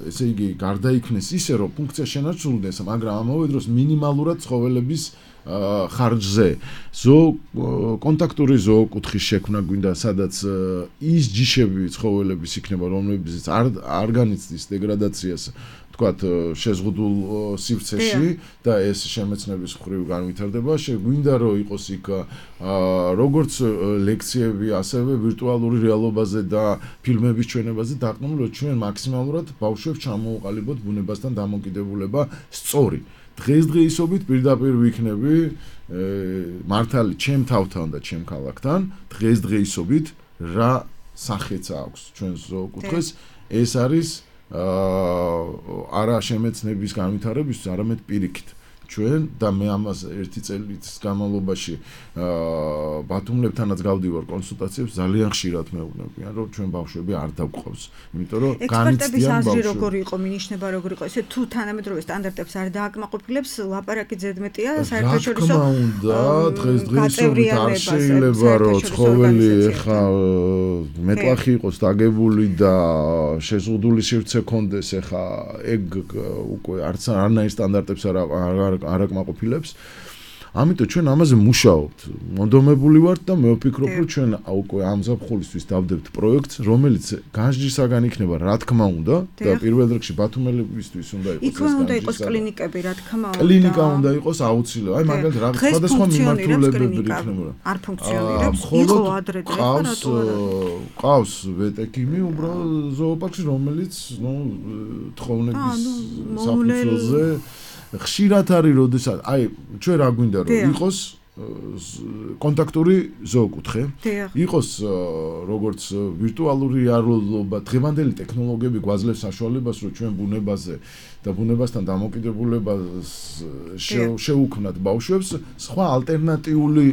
ესე იგი გარდაიქმნეს ისე რომ ფუნქცია შენარჩუნდეს მაგრამ ამავე დროს მინიმალურად ცხოველების ხარჯზე კონტაქტური ზოოკუთხის შექმნა გვინდა სადაც ის ჯიშები ცხოველების იქნება რომლებიც არ განიცდის დეგრადაციას თქვათ შეზღუდულ სივრცეში და ეს შემეცნების მხრივ განვითარდება შეგვინდა რომ იყოს იქ როგორც ლექციები ასევე ვირტუალური რეალობაზე და ფილმების ჩვენებაზე დაყრდნილი რომ ჩვენ მაქსიმალურად ბავშვებს ჩამოუყალიბოთ ბუნებასთან დამოკიდებულება სწორი დღესდღეობით პირდაპირ ვიქნები მართალი ჩემ თავთან და ჩემ ქალაქთან დღესდღეობით რა სახეც აქვს ჩვენ ზოოკუთხეს ეს არის არა შემეცნების განვითარებისთვის არამედ პირიქით ჩვენ და მე ამას ერთი წელიწადის განმავლობაში ბათუმლებთანაც გავდივარ კონსულტაციებს ძალიან ხშირად მეუბნებიან რომ ჩვენ ბავშვები არ დავყავს იმიტომ რომ ექსპერტების აზრი როგორი იყო მინიშნება როგორი იყო ესე თუ თანამედროვე სტანდარტებს არ დააკმაყოფილებს ლაპარაკი ზედმეტია საერთაშორისო რა უნდა დღესდღეობით არ შეიძლება რომ ცხოველი ეხა მეტლახი იყოს დაგებული და შეზღუდული სივრცე ქონდეს ეხა ეგ უკვე არანაირ სტანდარტებს არ აკმაყოფილებს ამიტომ ჩვენ ამაზე მუშაობთ მონდომებული ვართ და მე ვფიქრობ რომ ჩვენ უკვე ამ ზაფხულისთვის დავდებთ პროექტს რომელიც განსჯისაგან იქნება რა თქმა უნდა და პირველ რიგში ბათუმელებისთვის უნდა იყოს იქ უნდა იყოს კლინიკები რა თქმა უნდა კლინიკა უნდა იყოს აუცილებლად აი მაგალითად რა სხვადასხვა მიმართულებები იქნება არ ფუნქციონირებს იყო ადრე და რატო არა ყავს ვეტექიმი უბრალოდ ზოოპარკში რომელიც თხოვნების საფუძველზე ხშირად არის როდესაც აი ჩვენ რა გვინდა რომ იყოს კონტაქტური ზოოკუთხე იყოს როგორც ვირტუალური რეალობა დღევანდელი ტექნოლოგიები გვაძლევს საშუალებას რომ ჩვენ ბუნებაზე და ბუნებასთან დამოკიდებულებას შევუქმნათ ბავშვებს სხვა ალტერნატიული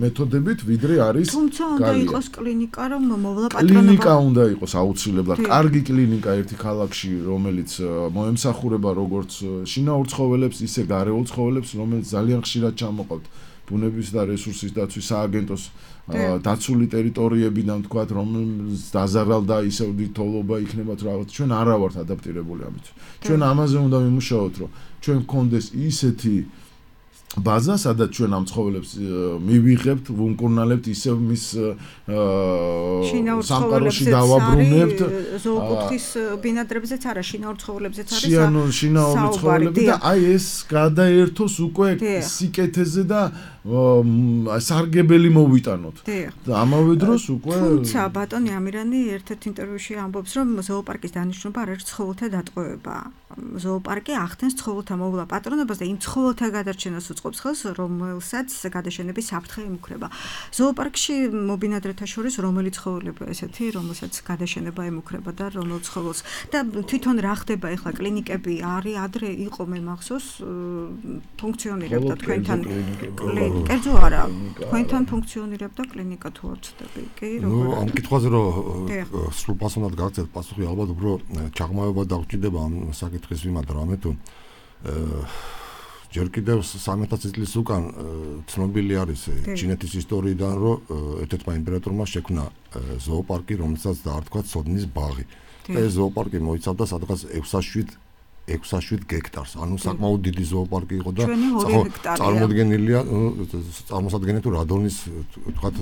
მეთოდებით ვიდრე არის თუმცა უნდა იყოს კლინიკა რომ მოვლა პატრონობა კლინიკა უნდა იყოს აუცილებლად კარგი კლინიკა ერთი ქალაქში რომელიც მოემსახურება როგორც შინაურ ცხოველებს ისე გარეულ ცხოველებს რომელიც ძალიან ხშირად ჩამოყავთ ბუნების და რესურსის დაცვის სააგენტოს დაცული ტერიტორიებიდან თქვათ რომელიც დაზარალდა ისევ თოლობა იქნება თუ რაღაც ჩვენ არა ვართ ადაპტირებული ამით ჩვენ ამაზე უნდა ვიმუშაოთ რომ ჩვენ გქონდეს ისეთი ბაზა სადაც ჩვენ ამ ცხოველებს მივიღებთ ვუმკურნალებთ ისევ მის სამყაროში დავაბრუნებთ ზოოკუთხის ბინადრებზეც არა შინაურ ცხოველებზეც არის შინაური ცხოველები და აი ეს გადაერთოს უკვე სიკეთეზე და სარგებელი მოვიტანოთ და ამავე დროს უკვე თუმცა ბატონი ამირანი ერთ-ერთ ინტერვიუში ამბობს რომ ზოოპარკის დანიშნულება არ არის ცხოველთა დატყვევება ზოოპარკი ახდენს ცხოველთა მოვლა პატრონობას და იმ ცხოველთა გადარჩენას უწყობს ხელს რომელსაც გადაშენების საფრთხე ემუქრება ზოოპარკში მობინადრეთა შორის რომელი ცხოველებია ესეთი რომელსაც გადაშენება ემუქრება და რომელ ცხოველს და თვითონ რა ხდება ახლა კლინიკები არის ადრე იყო მე მახსოვს ფუნქციონირებდა თქვენთან კერძო არა თქვენთან ფუნქციონირებდა კლინიკა თუ არ ვცდები კი როგორ ამ კითხვაზე რომ სულ პასუხად გაგცეთ პასუხი ალბათ უფრო ჩაღმავება დაგჭირდება ამ საკითხის მიმართ რამე თუ ჯერ კიდევ 3000 წლის უკან ცნობილი არის ჩინეთის ისტორიიდან რომ ერთ-ერთმა იმპერატორმა შექმნა ზოოპარკი რომელსაც დაარქვა ცოდნის ბაღი და ეს ზოოპარკი მოიცავდა სადღაც 607 გექტარს. ანუ საკმაოდ დიდი ზოოპარკი იყო და წარმოდგენილია წარმოსადგენია თუ რადონის თქვათ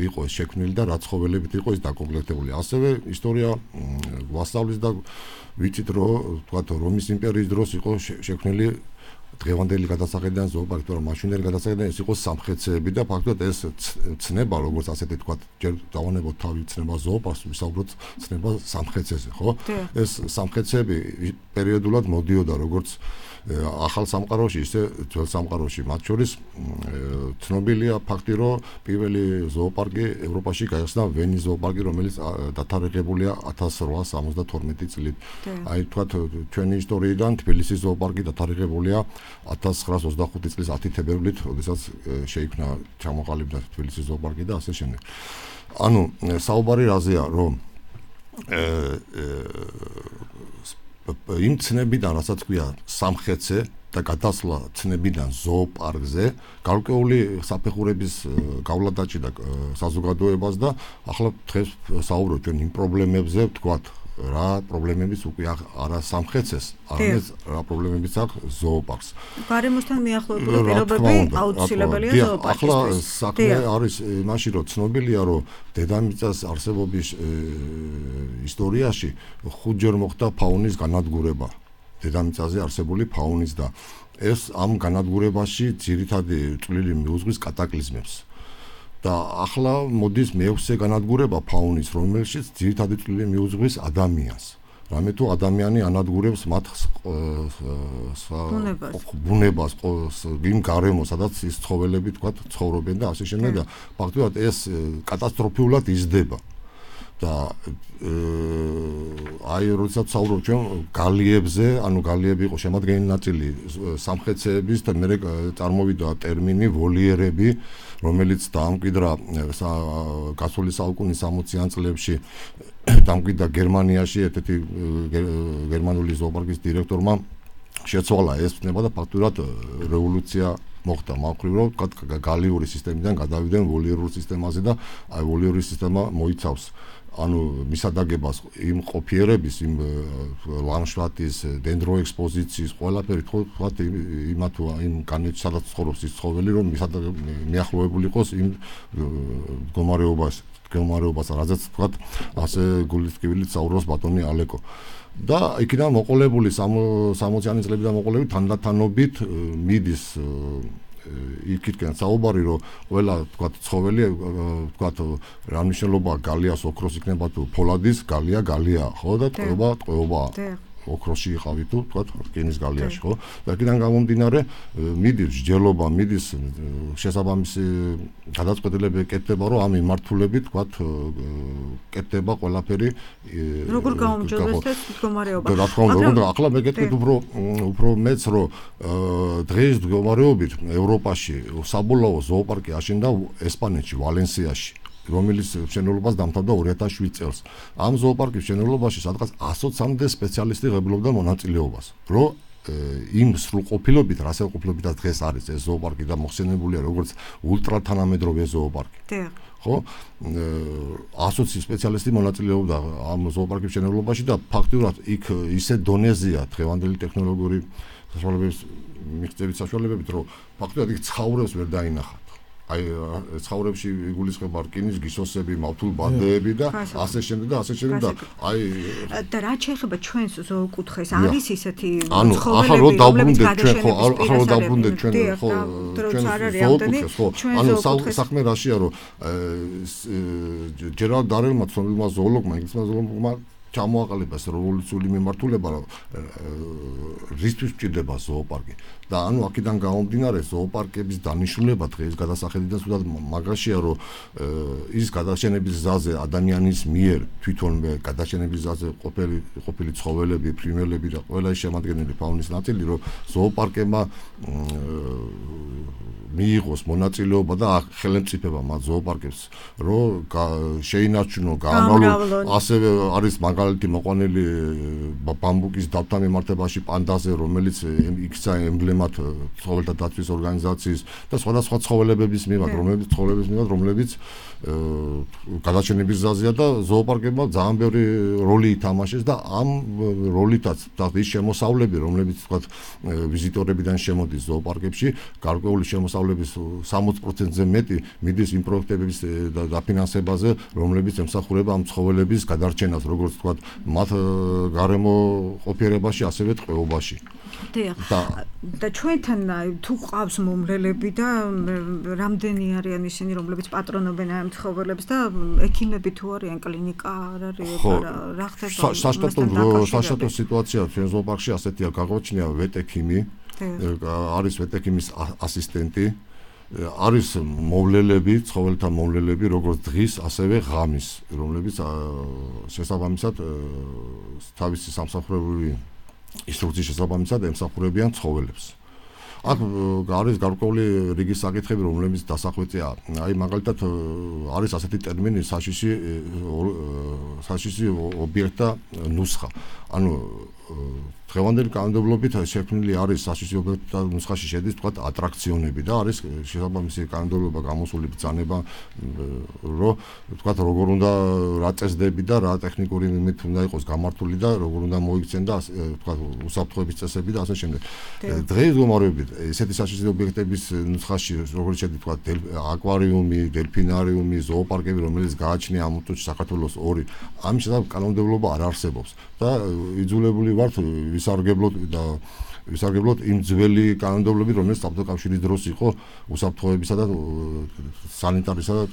იყო ეს შექმნილი და რა ცხოველებით იყო ეს დაკომპლექტებული. ასევე ისტორია ვასწავლის და ვიცით რომ თქვათ რომის იმპერიის დროს იყო შექმნილი დღევანდელი გადასახედიდან ზოოპარკი, თორემ მაშინდელი გადასახედიდან ეს იყო სამხეცეები და ფაქტობრივად ეს ცნება როგორც ასეთი თქვათ ჯერ დავანებოთ თავი ცნება ზოოპარკს, ვისაუბროთ ცნება სამხეცეზე, ხო? ეს სამხეცეები პერიოდულად მოდიოდა როგორც ახალ სამყაროში, ისე ძველ სამყაროში. მათ შორის ცნობილია ფაქტი, რომ პირველი ზოოპარკი ევროპაში გაიხსნა ვენის ზოოპარკი, რომელიც დათარიღებულია 1872 წლით. აი თქვათ ჩვენი ისტორიიდან თბილისის ზოოპარკი დათარიღებულია 1925 წლის 10 თებერვლით, როდესაც შეიქმნა ჩამოყალიბდა თბილისის ზოოპარკი და ასე შემდეგ. ანუ საუბარი რაზეა, რომ იმ ცნებიდან, რასაც ქვია სამხეცე და გადასვლა ცნებიდან ზოოპარკზე, გარკვეული საფეხურების გავლა დაჭირდა საზოგადოებას და ახლა დღეს საუბრობთ ჩვენ იმ პრობლემებზე, ვთქვათ, რა პრობლემებიც უკვე არა სამხეცეს, არამედ რა პრობლემებიც აქვს ზოოპარკს. გარემოსთან მიახლოებული პირობები აუცილებელია ზოოპარკისთვის. ახლა საქმე არის იმაში, რომ ცნობილია, რომ დედამიწის არსებობის ისტორიაში 5 ჯერ მოხდა ფაუნის განადგურება. დედამიწაზე არსებული ფაუნის და ეს ამ განადგურებაში ძირითადი წვლილი მიუძღვის კატაკლიზმებს. და ახლა მოდის მეექვსე განადგურება ფაუნის, რომელშიც ძირითადი წვლილი მიუძღვის ადამიანს. რამე თუ ადამიანი ანადგურებს მათ ბუნებას, იმ გარემოს, სადაც ის ცხოველები თქვათ ცხოვრობენ და ასე შემდეგ და ფაქტობრივად ეს კატასტროფულად იზრდება. და აი როდესაც საუბრობ ჩვენ გალიებზე, ანუ გალიები იყო შემადგენელი ნაწილი სამხეცეების და მე წარმოვიდა ტერმინი ვოლიერები, რომელიც დაამკვიდრა გასული საუკუნის 60-იან წლებში დამკვიდრა გერმანიაში ერთ-ერთი გერმანული ზოოპარკის დირექტორმა შეცვალა ეს ფნება და ფაქტურად რევოლუცია მოხდა მაგრივ რომ თქვა გალიური სისტემიდან გადავიდნენ ვოლიერულ სისტემაზე და აი ვოლიერული სისტემა მოიცავს ანუ მისადაგებას იმ ყოფიერების იმ ლანდშაფტის დენდროექსპოზიციის ყველაფერი თქვა იმათ იმ განეც სადაც ცხოვრობს ის ცხოველი რომ მიახლოებული იყოს იმ მდგომარეობას რაზეც თქვა ასე გულისკივილით საუბრობს ბატონი ალეკო და იქიდან მოყოლებული 60-იანი წლებიდან მოყოლებული თანდათანობით მიდის იქიდან საუბარი რომ ყველა თქვა ცხოველი თქვა რა მნიშვნელობაა გალიას ოქროს იქნება თუ ფოლადის გალია ხო და ტყვეობა ოქროსში იყავი თუ თქვა რკინის გალიაში ხო და იქიდან გამომდინარე მიდის ჯელობა მიდის შესაბამისი გადაწყვეტილება ეკეთება რომ ამ მიმართულებით თქვა კეთდება ყველაფერი როგორ გაუმჯობესდეს ეს მდგომარეობა რა თქმა უნდა ახლა მეკეთებ უფრო მეც რომ დღეს მდგომარეობით ევროპაში საბოლოო ზოოპარკი აშენდა ესპანეთში ვალენსიაში რომელიც მშენებლობას დამთავრდა 2007 წელს. ამ ზოოპარკის მშენებლობაში სადღაც 120-მდე სპეციალისტი ღებულობდა მონაწილეობას. რომ იმ სრულყოფილობით, რასაყოფილობითაც დღეს არის ეს ზოოპარკი და მოხსენებულია როგორც ულტრათანამედროვე ზოოპარკი. ხო? 120 სპეციალისტი მონაწილეობდა ამ ზოოპარკის მშენებლობაში და ფაქტურად იქ ისე დონეზეა დღევანდელი ტექნოლოგიური საშუალებების მიღწევის საშუალებებით, რომ ფაქტურად იქ ცხოვრებს ვერ დაინახა. აი ცხოვრებში იგულისხმება რკინის გისოსები, მავთულბადეები და ასე შემდეგ და აი და რა შეიძლება ჩვენს ზოოკუთხეს არის ისეთი ცხოველები რომლებიც გადაშენების ახლა დაბრუნდეთ ჩვენ ხო ზოოკუთხეს ხო ანუ საქმე რაშია რომ ჯერალდ დარელმა ცნობილმა ზოოლოგმა ინგლისმა ზოოლოგმა ჩამოაყალიბა ეს რევოლუციური მიმართულება რისთვის ჭირდება ზოოპარკი და ანუ აქედან გამომდინარე ზოოპარკების დანიშნულება დღეს გადასახედიდან სულად მაგაშია რომ ის გადაშენების გზაზე ადამიანის მიერ თვითონვე გადაშენების გზაზე ყოფილი ცხოველები, ფრინველები და ყველა შემადგენელი ფაუნის ნაწილი რომ ზოოპარკებმა მიიღოს მონაწილეობა და ხელმწიფება მათ ზოოპარკებს რომ შეინარჩუნო გაამრავლონ ასევე არის მაგალითი მოყვანილი ბამბუკის დავთან მიმართებაში პანდაზე რომელიც იქცა ემბლემად ცხოველთა დაცვის ორგანიზაციის და სხვადასხვა ცხოველებების მიმართ რომლებიც გადაშენების გზაზეა და ზოოპარკებმა ძალიან ბევრი როლი ითამაშეს და ამ როლითაც ის შემოსავლები რომლებიც თქვა ვიზიტორებიდან შემოდის ზოოპარკებში გარკვეული შემოსავლების 60%-ზე მეტი მიდის იმ პროექტების დაფინანსებაზე რომლებიც ემსახურება ამ ცხოველების გადარჩენას როგორც თქვა მათ გარემო ყოფიერებაში ასევე ტყვეობაში და ჩვენთან თუ ყავს მომლელები და რამდენი არიან ისინი რომლებიც პატრონობენ ამ ცხოველებს და ექიმები თუ არიან კლინიკა არ არის რა ხდება საშტატო სიტუაცია ჩვენ ზოოპარკში ასეთია გაგვაჩნია ვეტექიმი არის ვეტექიმის ასისტენტი არის მოვლელები, ცხოველთა მოვლელები, როგორც დღის, ასევე ღამის, რომლებიც შესაბამისად თავისი სამსახურებული ინსტრუქციის შესაბამისად ემსახურებიან ცხოველებს. აქ არის გარკვეული რიგი საკითხები, რომლებიც დასახვეწეა. აი მაგალითად არის ასეთი ტერმინი საშიში ობიექტა ნუსხა. ანუ დღევანდელი კანონმდებლობით შექმნილი არის საშიში ობიექტა ნუსხაში შედის თქვა ატრაქციონები და არის შესაბამისი კანონმდებლობა გამოსული ბრძანება რომ თქვა როგორ უნდა რა წესდები და რა ტექნიკური მიმით უნდა იყოს გამართული და როგორ უნდა მოიქცენ და თქვა უსაფრთხოების წესები და ასე შემდეგ. დღეს მდგომარეობით ესეთი საშიში ობიექტების ნუსხაში როგორც შედის თქვა აკვარიუმი, დელფინარიუმი, ზოოპარკები რომელიც გააჩნია ამ უთუჩ საქართველოს 2 ამის შესაძლებლობა კანონმდებლობა არ არსებობს და იძულებული ვართ ვისარგებლოთ და ვისარგებლოთ იმ ძველი კანონმდებლობით, რომელიც საბჭოთა კავშირის დროს იყო უსაფრთხოებისა და სანიტარისა და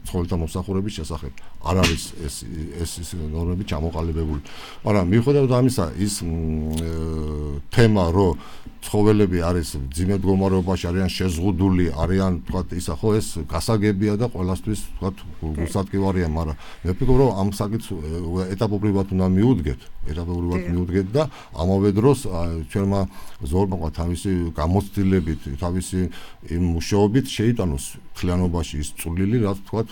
ცხოველთა მომსახურების შესახებ. არ არის ეს ნორმები ჩამოყალიბებული. მაგრამ მიუხედავად ამისა, ის თემა, რომ ცხოველები არის მძიმე მდგომარეობაში, არიან შეზღუდული, არიან თქვათ ისა ხო ეს გასაგებია და ყველასთვის თქვათ გულსატკივარია, მაგრამ მე ვფიქრობ, რომ ამ საკითხს ეტაპობრივად უნდა მიუდგეთ და ამავე დროს ჩვენმა ზოოპარკმა თავისი გამოცდილებით, თავისი იმ მუშაობით შეიტანოს მთლიანობაში ის წვლილი, რაც თქვათ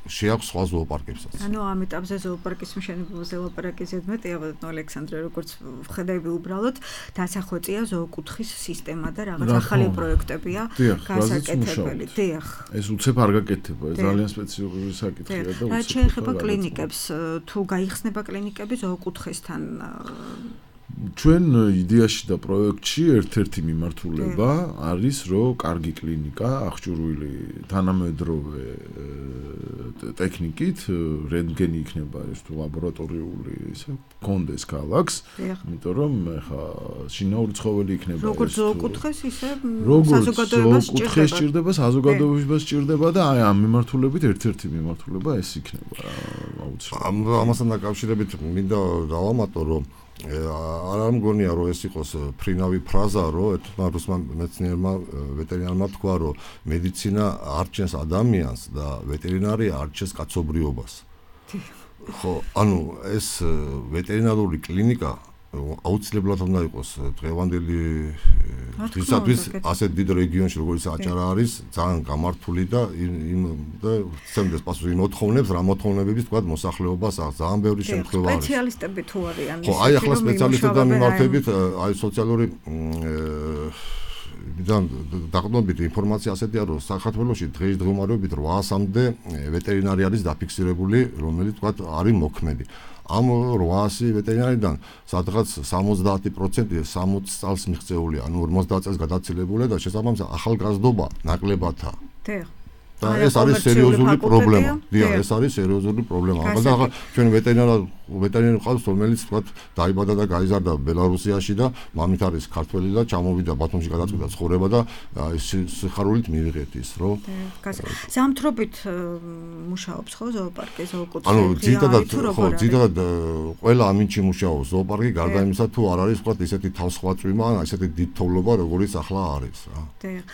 შეაქვს სხვა ზოოპარკებსაც. ანუ ამ ეტაპზე ზოოპარკის მშენებლობაზე ლაპარაკი ზედმეტი, აბა ალექსანდრე, როგორც ვხედები უბრალოდ დასახვეწია ზოოკუთხის სისტემა და რაღაც ახალი პროექტებია გასაკეთებელი. დიახ. ეს უცებ არ გაკეთება, ეს ძალიან სპეციფიკური საკითხია და რა შეეხება კლინიკებს, თუ გაიხსნება კლინიკები ზოოკუთხესთან ჩვენ იდეაში და პროექტში ერთ-ერთი მიმართულება არის, რომ კარგი კლინიკა, აღჭურვილი თანამედროვე ტექნიკით, რენტგენი იქნება ეს თუ ლაბორატორიული ისე კონდეს ქალაქს, იმიტომ რომ ხა შინაური ცხოველი იქნება როგორც ზოოკუთხეს ისე საზოგადოებას სჭირდება, საზოგადოებას სჭირდება და აი ამ მიმართულებით ერთ-ერთი მიმართულება ეს იქნება აუცილებლად. ამასთან დაკავშირებით მინდა დავამატო, რომ არ მგონია რომ ეს იყოს ფრინავი ფრაზა, რომ ერთმა რუსმა მეცნიერმა ვეტერინარმა თქვა, რომ მედიცინა არჩენს ადამიანს და ვეტერინარია არჩენს კაცობრიობას. ხო, ანუ ეს ვეტერინარული კლინიკა აუცილებლად უნდა იყოს დღევანდელი დღისათვის ასეთ დიდ რეგიონში, როგორც აჭარა არის, ძალიან გამართული და ცემდეს პასუხი იმ მოთხოვნებს, რა მოთხოვნებების თქვა მოსახლეობას აქვს ძალიან ბევრი შემთხვევა არის. სპეციალისტები თუ არიან ხო, აი ახლა სპეციალისტებთან მიმართებით, აი სოციალური დაყრდნობით ინფორმაცია ასეთია, რომ საქართველოში დღეს მდგომარეობით 800-მდე ვეტერინარი არის დაფიქსირებული, რომელიც თქვა არის მოქმედი. ამ 800 ვეტერინარიდან სადღაც 70% 60 წელს მიღწეულია, ანუ 50 წელს გადაცილებულია და შესაბამისად ახალგაზრდობა ნაკლებადაა. და ეს არის სერიოზული პრობლემა. დიახ, ეს არის სერიოზული პრობლემა. მაგრამ ახლა ჩვენ ვეტერინარი ყავს, რომელიც თქვათ დაიბადა და გაიზარდა ბელარუსიაში და მამით არის ქართველი და ჩამოვიდა ბათუმში გადაწყვიტა ცხოვრება და სიხარულით მიიღეთ ის, რომ ზამთრობით მუშაობს ხო ზოოპარკი, ზოოკუთხე? ანუ ძირითადად ყველა ამინჩი მუშაობს ზოოპარკი, გარდა იმისა თუ არ არის თქვათ ისეთი თავსხვაწვიმა, ესეთი დიდ თოვლობა, როგორც ახლა არის რა. დიახ.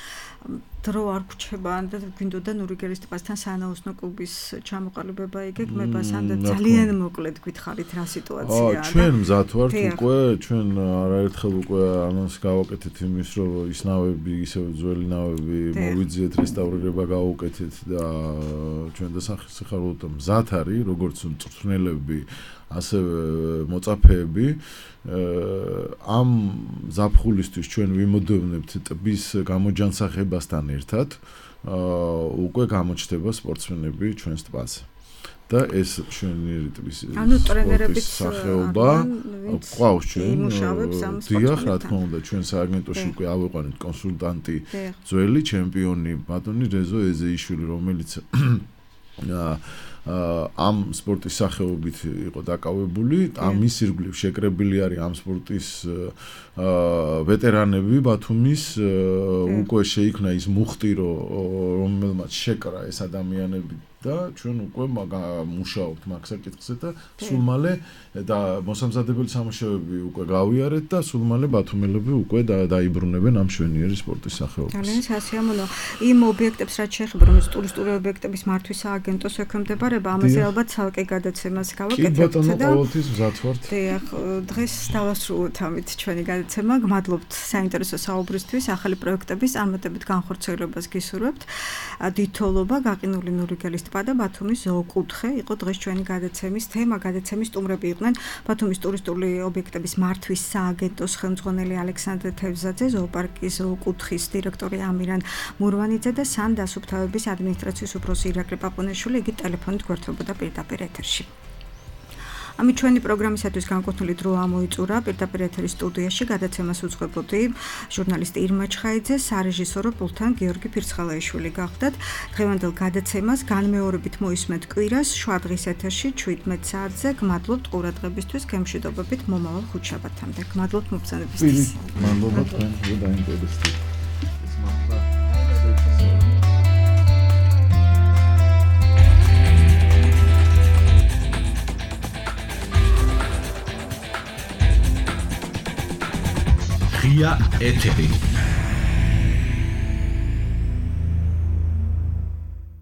დრო არ გრჩება და გვინდოდა ნურიგელის ტბასთან სანაოსნო კლუბის ჩამოყალიბება იგეგმებას ან ძალიან მოკლედ გითხარით რა სიტუაციაა. ჩვენ მზად ვართ უკვე, ჩვენ არაერთხელ უკვე ანონსი გავაკეთეთ იმის, რომ ის ნავები, ისევ ძველი ნავები მოვიძიეთ, რესტავრირება გავუკეთეთ და ჩვენ დასახელოთ მზად არის, როგორც მწვრთნელები, ასევე მოწაფეები. ამ ზაფხულისთვის ჩვენ ვიმოდევნებთ ტბის გამოჯანსაღებასთან ერთად უკვე გამოჩნდება სპორტსმენები ჩვენს ტბაზე. და ეს ჩვენი ტბის სახეობა ყავს ჩვენ. დიახ, რა თქმა უნდა, ჩვენ სააგენტოში უკვე ავიყვანეთ კონსულტანტი, ძველი ჩემპიონი ბატონი რეზო ეზეიშვილი, რომელიც ამ სპორტის სახეობით იყო დაკავებული, ამის ირგვლივ შეკრებილი არის ამ სპორტის ვეტერანები ბათუმის, უკვე შეიქმნა ის მუხტი, რომელმაც შეკრა ეს ადამიანები და ჩვენ უკვე მუშაობთ მაგ საკითხზე და სულ მალე და მოსამზადებელი სამუშაოები უკვე გავიარეთ და სულ მალე ბათუმელები უკვე დაიბრუნებენ ამ შვენიერი სპორტის სახეობას. ძალიან სასიამოვნო. იმ ობიექტებს რაც შეეხება, რომელიც ტურისტული ობიექტების მართვის სააგენტოს ექვემდებარება, ამაზე ალბათ ცალკე გადაცემას გავაკეთებთ და ყოველთვის მზად ვართ. დიახ, დღეს დავასრულოთ ამით ჩვენი გადაცემა. გმადლობთ საინტერესო საუბრისთვის, ახალი პროექტების წარმატებით განხორციელებას გისურვებთ. დიდთხოვლობა გაყინული ნურიგელის ტბა და ბათუმის ზოოკუთხე იყო დღეს ჩვენი გადაცემის თემა. გადაცემის სტუმრები იყვნენ ბათუმის ტურისტული ობიექტების მართვის სააგენტოს ხელმძღვანელი ალექსანდრე თევზაძე, ზოოპარკის ზოოკუთხის დირექტორი ამირან მურვანიძე და სან დასუფთავების ადმინისტრაციის უფროსი ირაკლი პაპონეშვილი. იგი ტელეფონით გვერდებოდა პირდაპირ ეთერში. ამით ჩვენი პროგრამისათვის განკუთვნილი დრო ამოიწურა პირდაპირ ეთერის სტუდიაში გადაცემას უძღვებოდი ჟურნალისტი ირმა ჩხაიძე, სარეჟისორო პულტთან გიორგი ფირცხალაიშვილი გახდათ. დღევანდელ გადაცემას განმეორებით მოისმენთ კვირას შვადღის ეთერში 17 საათზე. გმადლობთ ყურადღებისთვის, გემშვიდობებით მომავალ ხუთშაბათამდე. გმადლობთ მობრძანებისთვის. მადლობა თქვენ დაინტერესდით. ღია ეთერი